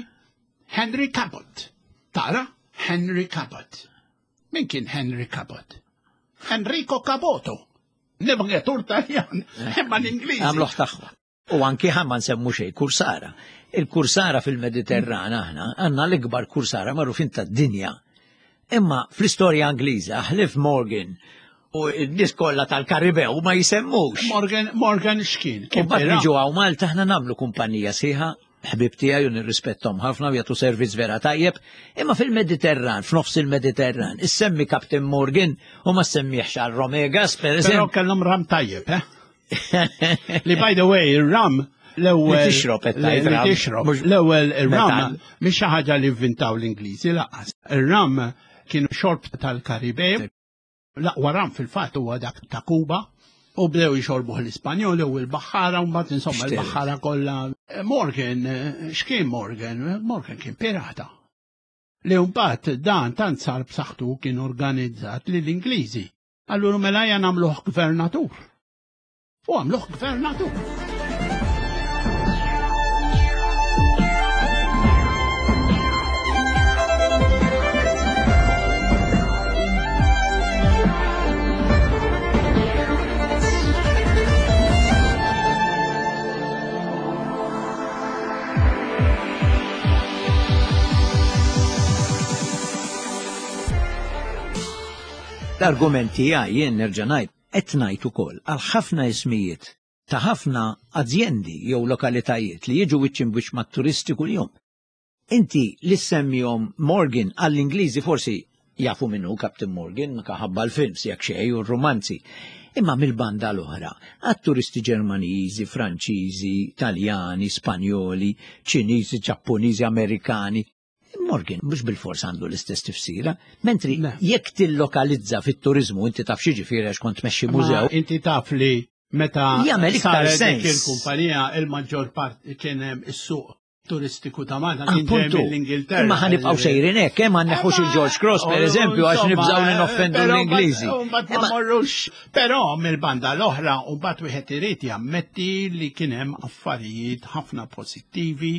S3: Henry Cabot. Tara? Henry Cabot. Min kien Henry Cabot? Enrico Caboto. Navigatur Taljan, imma l-Ingliż.
S2: Għamluħ tagħhom. U anki ħa ma nsemmu xejn kursara. Il-kursara fil-Mediterran aħna għandna l-ikbar kursara magħrufin tad-dinja. Imma fl-istorja Ingliża ħlief Morgan u n-nies kollha tal-Karibew ma jisemmux.
S3: Morgan, Morgan x'kien?
S2: U mbagħad niġu hawn Malta aħna nagħmlu kumpanija sħiħa ħbib tiegħi u nirrispettom ħafna u jagħtu servizz vera tajjeb, imma fil-Mediterran, f'nofs il-Mediterran, issemmi Captain Morgan u ma semmieħx għal Romegas, per eżempju.
S3: Però kellhom ram tajjeb, eh? Li by the way, ir-ram l-ewwel.
S2: Li tixrob qed tgħid
S3: Li tixrob. L-ewwel ir-ram mhix xi ħaġa li vvintaw l-Ingliżi laqas. Ir-ram kienu xorb tal-Karibew. L-aqwa ram fil-fatt huwa dak ta' Kuba. U bdew jixorbuh l-Ispanjoli u l-Baħħara, u mbagħad insomma l-Baħħara kollha. Morgan, x'kien Morgan? Morgan kien pirata. Li mbagħad dan tant sar b'saħħtu kien organizzat li l-Ingliżi Allura mela ejja nagħmluh gvernatur. U għamluh gvernatur.
S2: L-argument tiegħi jien nerġa' ngħid qed ngħid ukoll għal ħafna ismijiet ta' ħafna azjendi jew lokalitajiet li jiġu wiċċ imbwiċċ mat-turisti kuljum. Inti li ssemmihom Morgan għall-Ingliżi forsi jafu min hu Captain Morgan minħabba l-films jekk xejn u r-rumanzi. Imma mill-banda l-oħra, għat-turisti Ġermaniżi, Franċiżi, Taljani, Spanjoli, Ċiniżi, Ġappuniżi, Amerikani, Morgan mhux bilfors għandu l-istess tifsira, mentri jekk tillokalizza fit-turizmu inti taf xi ġifieri għax kont tmexxi mużew.
S3: Inti taf li meta
S2: jagħmel iktar sens.
S3: Il-kumpanija il-maġġor part kien hemm is-suq turistiku ta' Malta kien ġej mill-Ingilterra.
S2: Imma ħanibqgħu sejrin hekk, hemm għandna il-George Cross pereżempju għax nibżgħu li noffendu l-Ingliżi.
S3: Ma morrux, però mill-banda l-oħra u mbagħad wieħed irid jammetti li kien hemm affarijiet ħafna pożittivi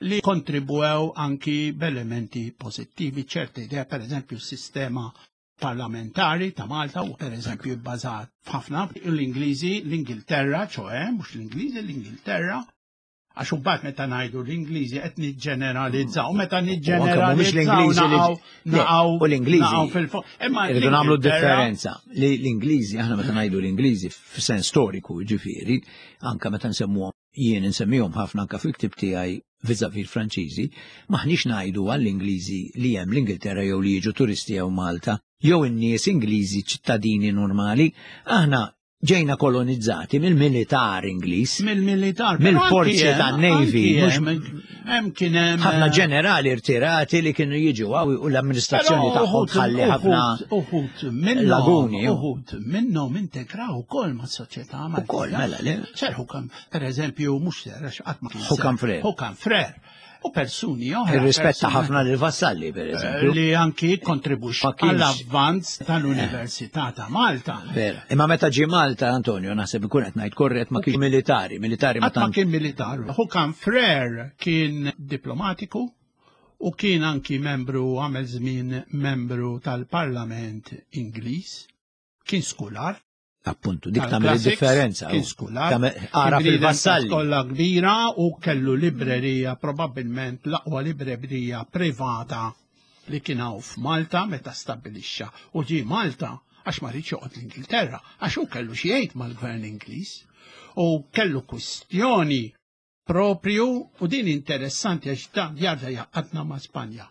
S3: li kontribwew anki b'elementi pożittivi ċerti idea, per eżempju, sistema parlamentari ta' Malta u per eżempju bbażat f'ħafna l-Ingliżi, l-Ingilterra, ċoe, mhux l-Ingliżi, l-Ingilterra, għax imbagħad meta ngħidu l-Ingliżi qed niġġeneralizzaw, meta niġġeneralizzaw naqgħu
S2: u l-Ingliżi fil-fuq. Imma irridu nagħmlu differenza li l-Ingliżi aħna meta ngħidu l-Ingliżi f'sens storiku ġifieri, anka meta nsemmuhom jien insemmihom ħafna anka fil-ktib tiegħi viżavi l-Franċiżi, maħniex ngħidu għall-Ingliżi li hemm l-Ingilterra jew li jiġu turisti jew Malta, jew in-nies Ingliżi ċittadini normali, aħna ġejna kolonizzati mill-militar Ingliż.
S3: Mill-militar.
S2: Mill-forzi tan-Navy.
S3: Hemm kien hemm
S2: ħafna eh, ġenerali rtirati li kienu jiġu għaw u l-amministrazzjoni tagħhom tħalli ħafna
S3: uħut laguni. Uħut minnhom integraw ukoll mas-soċjetà
S2: Maltija. Ukoll mela le.
S3: Ser Hukam, pereżempju, mhux ser għax qatt ma
S2: kien. Hukam Frer.
S3: Hukam Frer. U persuni oħra.
S2: Irrispetta ħafna lil Vassalli, per eżempju.
S3: Eh, li anki kontribwixxa għall-avvanz tal-Università ta' Malta.
S2: Vera. Imma meta ġie Malta, Antonio, naħseb ikun qed ngħid korrett ma kienx militari, militari
S3: ma kien militar. Hukam Frer kien diplomatiku u kien anki membru għamel żmien membru tal-Parlament Ingliż, kien skular.
S2: Appuntu, dik tagħmel id-differenza.
S3: Kien skular.
S2: Ara fil-vassalli.
S3: Kollha kbira u kellu librerija, probabbilment l-aqwa librerija privata li kien hawn f'Malta meta stabbilixxa. U ġie Malta għax ma rridx joqgħod l-Ingilterra, għax hu kellu xi jgħid mal-gvern Ingliż u kellu kwistjoni propju u din interessanti għax dan jarġa' jaqadna ma' Spanja.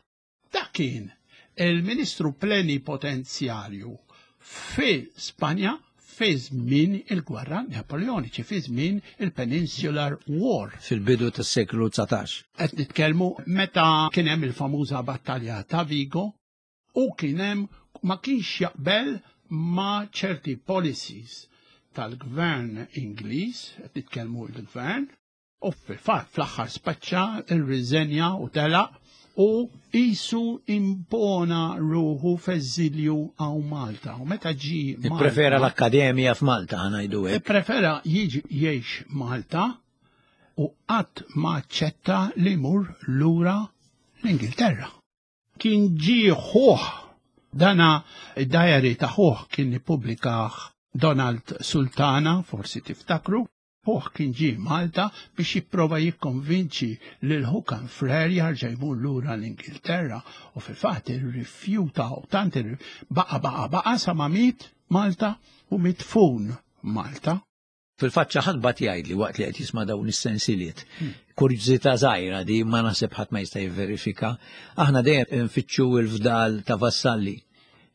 S3: Dak kien il-Ministru Plenipotenzjarju fi Spanja fi żmien il-gwerra Napoleoniċi, fi żmien il-Peninsular War.
S2: Fil-bidu tas-seklu 19.
S3: Qed nitkellmu meta kien hemm il-famuża battalja ta' Vigo u kien hemm ma kienx jaqbel ma' ċerti policies tal-gvern Ingliż, qed nitkellmu l-gvern, U fil-fatt fl-aħħar spaċċa rriżenja u telaq u qisu impona ruħu f'eżilju hawn Malta. U meta ġi
S2: Ipprefera l-akkademja f'Malta ngħidu hekk.
S3: Ipprefera jiġi jgħix Malta u qatt ma aċċetta li jmur lura l-Ingilterra. Kien ġie ħuh dana id-diary ta' ħuh kien ippubblikah Donald Sultana, forsi tiftakru, Ħuh kien ġie Malta biex jipprova jikkonvinċi lil Hookham Frere jarġa' jmur lura l-Ingilterra u fil-fatt irrifjuta u tant baqa' baqa' baqa' sa ma miet Malta u midfun Malta.
S2: Fil-fatt xi ħadd bagħat jgħidli waqt li qed jisma' dawn is-sensiliet. Hmm. Kurżità żgħira di ma naħseb ħadd ma jista' jivverifika. Aħna dejjem nfittxu l-fdal ta' Vassalli.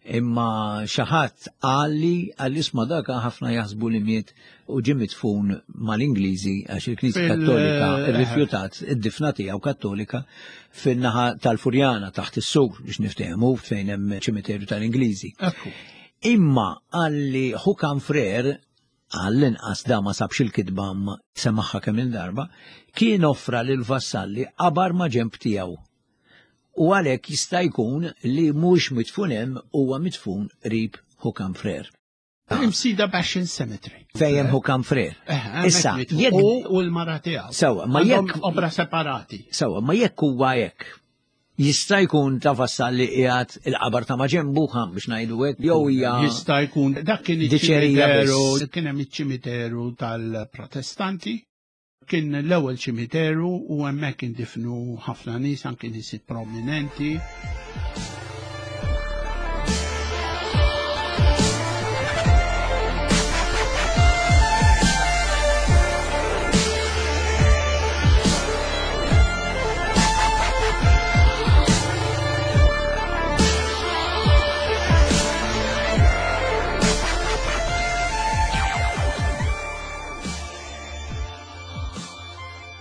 S2: Imma xi ħadd qalli għal isma' dak ħafna jaħsbu li miet u ġie midfun mal-Ingliżi għax il-Knisja Kattolika eh, rrifjutat id-difna tiegħu Kattolika fin-naħa tal-Furjana taħt is-sur biex niftehmu fejn hemm ċimiterju tal-Ingliżi. Imma qalli Hukam Frer għall-inqas da ma sabx il-kitba ma semaħħa kemm il-darba, kien offra lil Vassalli qabar ma' ġemb tiegħu u għalhekk jista' jkun li mhux midfun hemm huwa midfun qrib Hukam Frer.
S3: Imsida Bastion Cemetery.
S2: Fejn Hukam Frer.
S3: Eh, Issa, jekk u l-mara tiegħu.
S2: Sewa, ma jekk
S3: obra separati.
S2: Sewa, ma jekk huwa hekk. Jista' jkun ta' vassal li qiegħed il-qabar ta' maġenbu ħam biex ngħidu hekk jew hija
S3: Jista' jkun dak kien iċ-ċimiteru, kien hemm iċ-ċimiteru tal-Protestanti Kien l-ewwel ċimiteru u hemmhekk indifnu ħafna nies anki nies prominenti.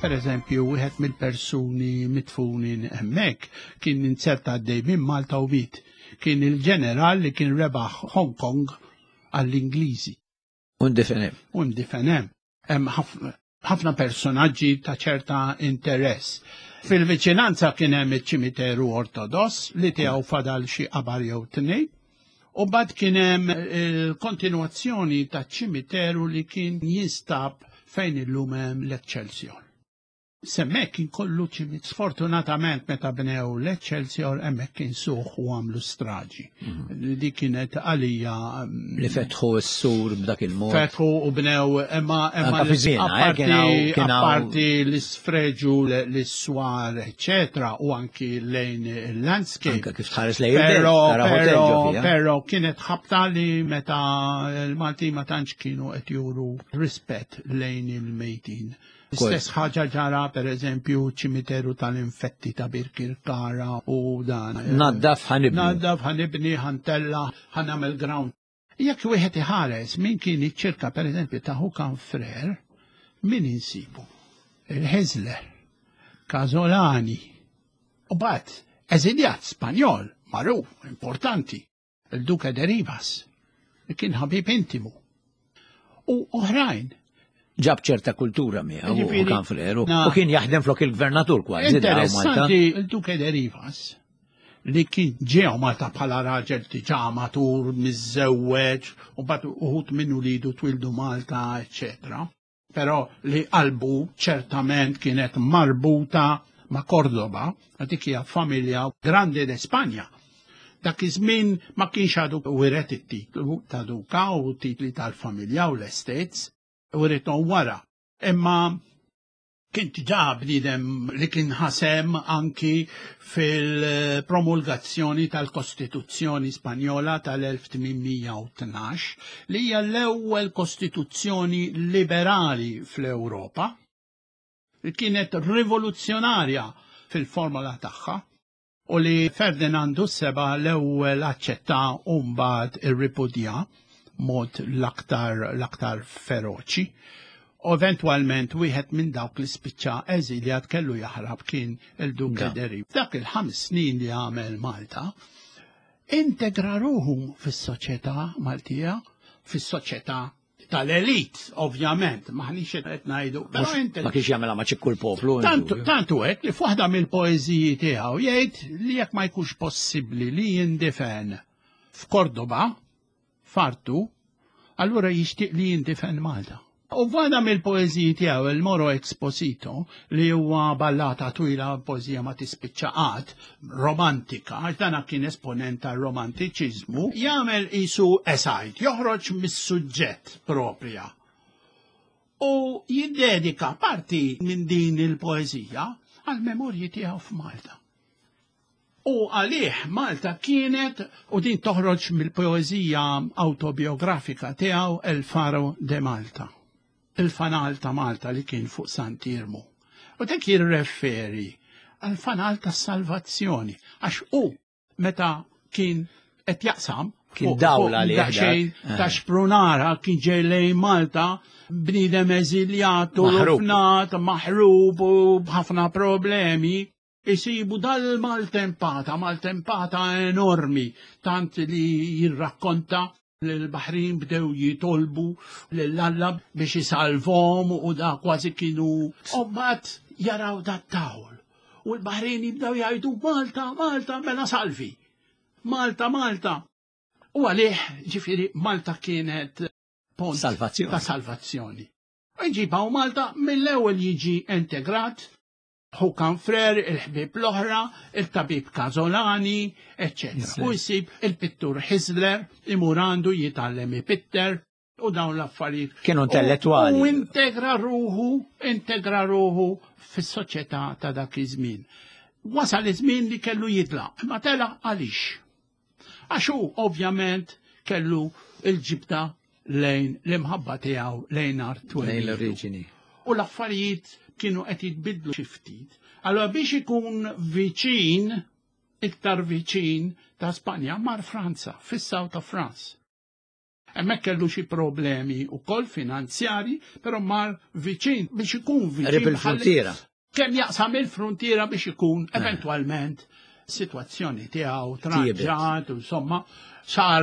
S3: Per eżempju, wieħed mill-persuni mitfunin hemmhekk kien inzerta għaddej minn Malta u miet. Kien il-ġeneral li kien rebaħ Hong Kong għall-Ingliżi.
S2: U ndifen hemm.
S3: U ndifen hemm. Hemm ħafna personaġġi ta' ċerta interess. Fil-viċinanza kien hemm iċ-ċimiteru Ortodoss li tiegħu fadal xi qabar jew tnejn. U bad kien hemm il-kontinwazzjoni taċ-ċimiteru li kien jinstab fejn illum hemm l-Excelsior. Semmek kien kollu ċimit. Sfortunatament meta bnew l-Excelsior hemmhekk kien suħ u għamlu straġi. Li kienet għalija mm,
S2: Li fetħu s-sur b'dak il-mod.
S3: Fetħu u bnew imma imma
S2: Anka fi żmienha, eh,
S3: apparti
S2: kien hawn- kien hawn-
S3: apparti l-isfreġu l-iswar eccetera u anki lejn il-landscape.
S2: Anka kif tħares lejn il-belt,
S3: Pero,
S2: tara hotel
S3: pero,
S2: ġo fiha.
S3: pero kienet ħabta li meta l-Malti ma tantx kienu qed juru rispett lejn il-mejtin. Stess ħaġa ġara per eżempju ċimiteru tal-infetti ta' Birkirkara u dan.
S2: Naddaf ħanibni.
S3: Naddaf ħanibni, ħantella, ħanamel ground. Jekk wieħed iħares min kien iċ-ċirka per eżempju ta' Hukan Frer, min insibu? Il-Hezler, Casolani, u bat eżiljat Spanjol, magħruf, importanti, il-Duke de Rivas, li kien ħabib intimu. U oħrajn.
S2: Ġab ċerta kultura miegħu u
S3: Ġifieri,
S2: kan freru.
S3: na-
S2: U kien jaħdem flok il-gvernatur kważi. da' Malta.
S3: Interessanti, il-Duke de Rivas, li kien ġew Malta bħala raġel diġà matur, miżżewweġ, u bat uħut minnu lidu twildu Malta, eccetera. Però li qalbu ċertament kienet marbuta ma' Cordoba, dik hija familja grande de Spanja. Dak iż-żmien ma kienx għadu wiret it-titlu ta' duka u titli tal-familja u l-estates, wirithom wara. Imma kien diġà bniedem li kien ħasem anki fil-promulgazzjoni tal-Kostituzzjoni Spanjola tal-1812 li hija l-ewwel kostituzzjoni liberali fl-Ewropa li kienet rivoluzzjonarja fil-formola tagħha u li Ferdinandu seba l-ewwel aċċetta u mbagħad irripudja mod l-aktar l-aktar feroċi. U eventwalment wieħed minn dawk li spiċċa eżiljat kellu jaħrab kien il-Duke
S2: Da.
S3: de Rivas. Dak il-ħames snin li għamel Malta, integra ruħu fis-soċjetà Maltija, fis-soċjetà tal-elit, ovvjament, maħniex qed ngħidu, però
S2: Mhux-
S3: integra
S2: Ma kienx jagħmilha ma' ċikku l-poplu.
S3: Tantu, tantu hekk li f'waħda mill-poeżiji tiegħu jgħid li jekk ma jkunx possibbli li jindifen f'Kordoba, fartu, allura jixtieq li jindifen Malta. U f'waħda mill-poeżiji tiegħu il-Moro Exposito li huwa ballata twila poeżija ma tispiċċa qatt, romantika, għax dana kien esponent tar-romantiċiżmu, jagħmel isu esajt, joħroġ mis-suġġett propria u jiddedika parti minn din il-poezija għal memorji tiegħu f'Malta. U għalih Malta kienet u din toħroġ mill-poezija autobiografika tiegħu El Faro de Malta. Il-fanal ta' Malta li kien fuq Sant'Irmu. U dak jirreferi għal fanal ta' salvazzjoni għax u meta kien qed jaqsam
S2: Kien
S3: fuq-
S2: dawl
S3: fuq
S2: għalih dak.
S3: daqsxejn
S2: Eh.
S3: ta' xprunara kien ġej lejn Malta bniedem eżiljat u
S2: Maħrub.
S3: rufnat, maħrub u b'ħafna problemi. Isibu dal-maltempata, maltempata enormi, tant li jirrakkonta li l-Baħrin bdew jitolbu l-Alla biex jisalvom u da kważi kienu. U mbagħad jaraw dat tawl. U l-Baħrin jibdew jgħidu Malta, Malta, mela salvi. Malta, Malta. U għalih, ġifiri, Malta kienet pont
S2: Salvazzjoni.
S3: ta' salvazzjoni. U jġibaw Malta mill-ewwel jiġi integrat Hukan Frer, il-ħbib l-oħra, il-tabib Kazolani, etc. U jsib il-pittur Hisler, imur għandu jitgħallem ipitter u dawn l-affarijiet.
S2: Kienu intellettwali.
S3: U integra ruħu, integra ruħu fis-soċjetà ta' dak iż-żmien. Wasal iż-żmien li kellu jitlaq, imma telaq għaliex. Għax hu ovvjament kellu il-ġibda lejn l-imħabba tiegħu lejn art
S2: Lejn
S3: twelidu.
S2: l-oriġini.
S3: U l-affarijiet kienu qed jitbidlu xi ftit. Allora biex ikun viċin, iktar viċin ta' Spanja mar Franza, fis-South of France. Hemmhekk kellu xi problemi wkoll finanzjari, però mar viċin biex ikun viċin.
S2: Qrib il-frontiera.
S3: Kemm jaqsam il-frontiera biex ikun eventwalment situazzjoni tiegħu tranġat, insomma, sar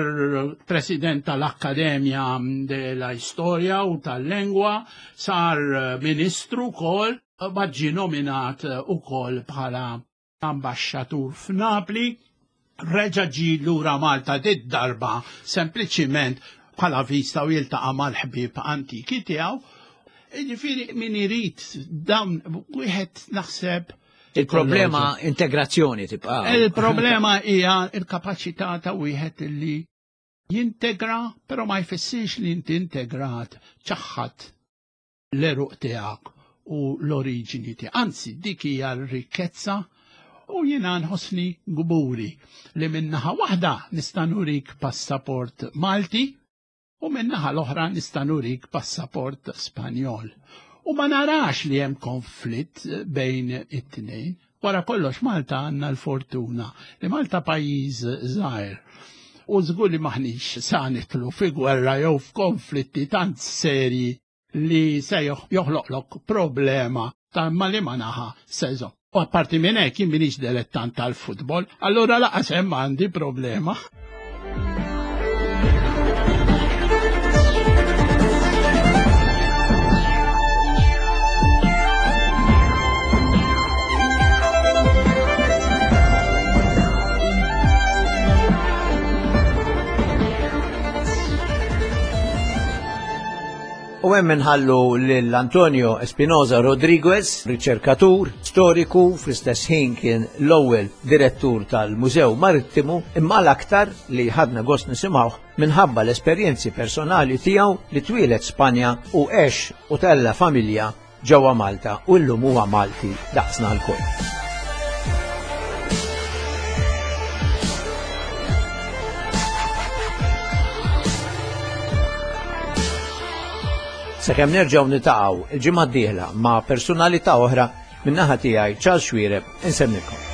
S3: president tal-Akkademja della Storia u tal-Lengwa, sar ministru wkoll, bad ġie nominat ukoll bħala ambasċatur f'Napli, reġa ġie lura Malta dit darba sempliċiment bħala vista u jiltaqa' mal-ħbieb antiki tiegħu. Ġifieri min irid dawn wieħed naħseb
S2: Il-problema integrazzjoni tibqa'.
S3: Il-problema hija il-kapaċità ta' wieħed li jintegra, però ma jfissirx li inti integrat ċaħħad l-eruq tiegħek u l-oriġini tiegħek. Anzi, dik hija r-rikkezza u jiena nħossni gburi li minnaħa waħda nista' nurik passaport Malti u minnaħa l-oħra nista' nurik passaport Spanjol. U ma narax li hemm konflitt bejn it-tnejn. Wara kollox Malta għandna l-fortuna li Malta pajjiż żgħir. U żgur li maħniex sa nitlu fi gwerra jew f'konflitti tant serji li se joħloqlok problema ta' ma li ma naħa sezo. U apparti minn hekk jien minix dilettant tal-futbol, allura laqas hemm għandi problema.
S2: U hemm inħallu lil Antonio Espinosa Rodriguez, riċerkatur, storiku, fl-istess ħin kien l-ewwel direttur tal-Mużew Marittimu, imma l-aktar li ħadna gost nisimgħuh minħabba l-esperjenzi personali tiegħu li twieled Spanja u għex u tella familja ġewwa Malta u llum huwa Malti daqsna lkoll. Sakemm nerġgħu nitaqgħu il-ġimgħa d-dieħla ma' personalità oħra min-naħa tiegħi Charles Xuereb insemmilkom.